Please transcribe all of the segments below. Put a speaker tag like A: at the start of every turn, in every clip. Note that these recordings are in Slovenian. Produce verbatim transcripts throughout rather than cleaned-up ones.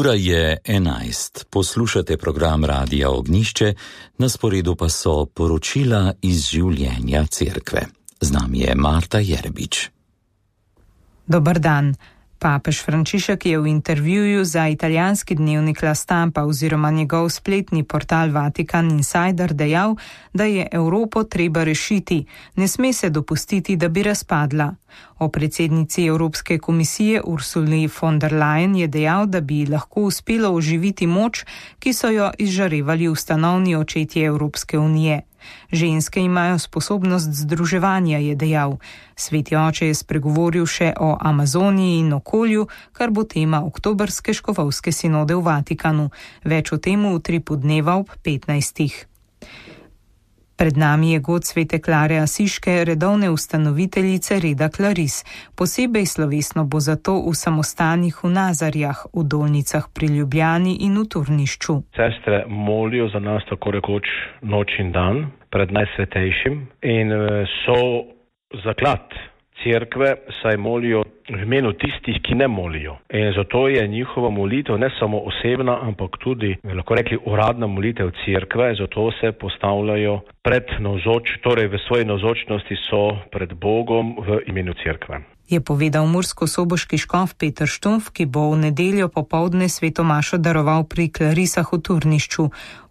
A: Ura je enajst. Poslušate program Radia Ognjišče, na sporedu pa so poročila iz življenja cerkve. Z nami je Marta Jerbič.
B: Dober dan. Papež Frančišek je v intervjuju za italijanski dnevnik La Stampa oziroma njegov spletni portal Vatikan Insider dejal, da je Evropo treba rešiti, ne sme se dopustiti, da bi razpadla. O predsednici Evropske komisije Ursuli von der Leyen je dejal, da bi lahko uspelo oživiti moč, ki so jo izžarevali ustanovni očetje Evropske unije. Ženske imajo sposobnost združevanja, je dejal. Sveti oče je spregovoril še o Amazoniji in okolju, kar bo tema oktobrske škofovske sinode v Vatikanu. Več o tem v utripu dneva ob petnajstih. Pred nami je god svete Klare Asiške, redovne ustanoviteljice reda Klaris. Posebej slovesno bo zato v samostanih v Nazarjah, v Dolnicah pri Ljubljani in v Turnišču.
C: Sestre molijo za nas tako rekoč noč in dan pred najsvetejšim in so zaklad cerkve, saj molijo v imenu tistih, ki ne molijo. In zato je njihova molitev ne samo osebna, ampak tudi, lahko rekli, uradna molitev cerkve, zato se postavljajo pred navzoč, torej v svoji navzočnosti so pred Bogom v imenu cerkve.
B: Je povedal murskosoboški škof Peter Štumf, ki bo v nedeljo popoldne sveto mašo daroval pri Klarisah v Turnišču.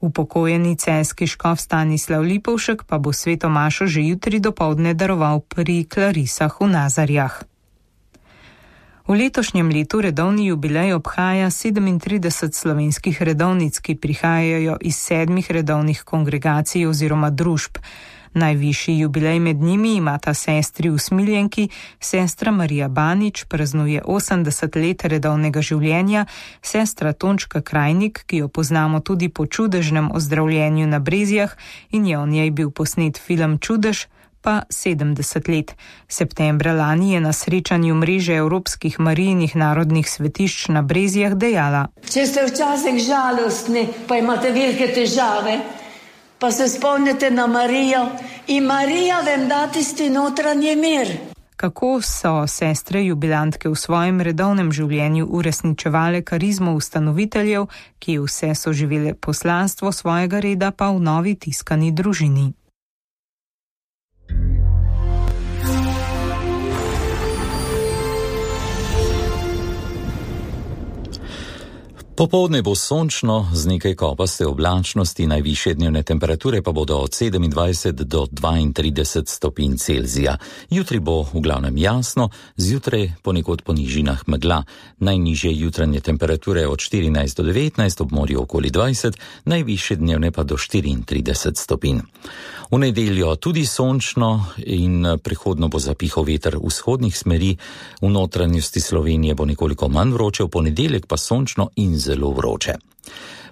B: Upokojeni celjski škof Stanislav Lipovšek pa bo sveto mašo že jutri dopoldne daroval pri Klarisah v Nazarjah. V letošnjem letu redovni jubilej obhaja sedemintrideset slovenskih redovnic, ki prihajajo iz sedmih redovnih kongregacij oziroma družb. Najvišji jubilej med njimi imata sestri Usmiljenki, sestra Marija Banič praznuje osemdeset let redovnega življenja, sestra Tončka Krajnik, ki jo poznamo tudi po čudežnem ozdravljenju na Brezjah in je o njej bil posnet film Čudež, pa sedemdeset let. Septembra lani je na srečanju mreže Evropskih Marijinih narodnih svetišč na Brezjah dejala:
D: Če ste včasih žalostni, pa imate velike težave, pa se spomnite na Marijo in Marija vam da tisti notranji mir.
B: Kako so sestre jubilantke v svojem redovnem življenju uresničevale karizmo ustanoviteljev, ki vse so živele poslanstvo svojega reda pa v novi tiskani družini.
A: Popoldne bo sončno z nekaj kopaste oblačnosti, najvišje dnevne temperature pa bodo od sedemindvajset do dvaintrideset stopinj Celzija. Jutri bo v glavnem jasno, zjutraj ponekod po nižinah megla. Najnižje jutranje temperature od štirinajst do devetnajst, ob morju okoli dvajset, najvišje dnevne pa do štiriintrideset stopinj. V nedeljo tudi sončno in prehodno bo zapihal veter vzhodnih smeri, v notranjosti Slovenije bo nekoliko manj vroče, v ponedeljek pa sončno in zelo vroče.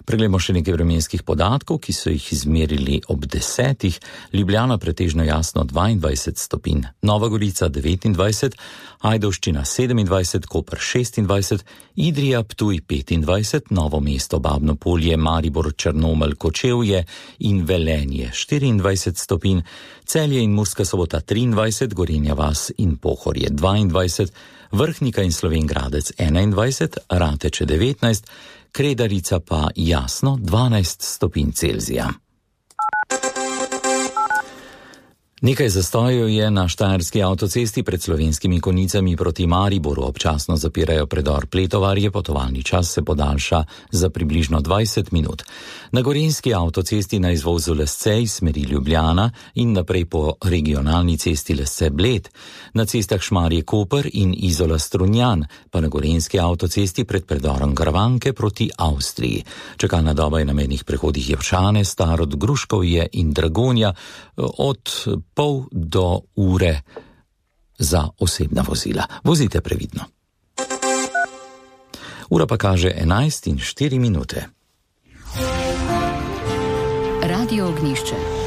A: Preglejmo še nekaj vremenskih podatkov, ki so jih izmerili ob desetih. Ljubljana pretežno jasno dvaindvajset stopinj, Nova Gorica devetindvajset, Ajdovščina sedemindvajset, Koper šestindvajset, Idrija, Ptuj petindvajset, Novo mesto, Babno Polje, Maribor, Črnomelj, Kočevje in Velenje štiriindvajset stopinj, Celje in Murska Sobota triindvajset, Gorenja vas in Pohorje dvaindvajset, Vrhnika in Slovenj Gradec enaindvajset, Rateče devetnajst, Kredarica pa jasno dvanajst stopinj Celzija. Nekaj zastojev je na štajerski avtocesti pred Slovenskimi Konjicami proti Mariboru. Občasno zapirajo predor Pletovarje, potovalni čas se podaljša za približno dvajset minut. Na gorenjski avtocesti na izvozu Lescej smeri Ljubljana in naprej po regionalni cesti Lesce-Bled. Na cestah Šmarje-Koper in Izola-Strunjan, pa na gorenjski avtocesti pred predorom Gravanke proti Avstriji. Čakalna doba je na mejnih prehodih Jevšane, Starod, Gruškovje in Dragonja od pol do ure za osebna vozila. Vozite previdno. Ura pa kaže enajst in štiri minute.
E: Radio Ognjišče.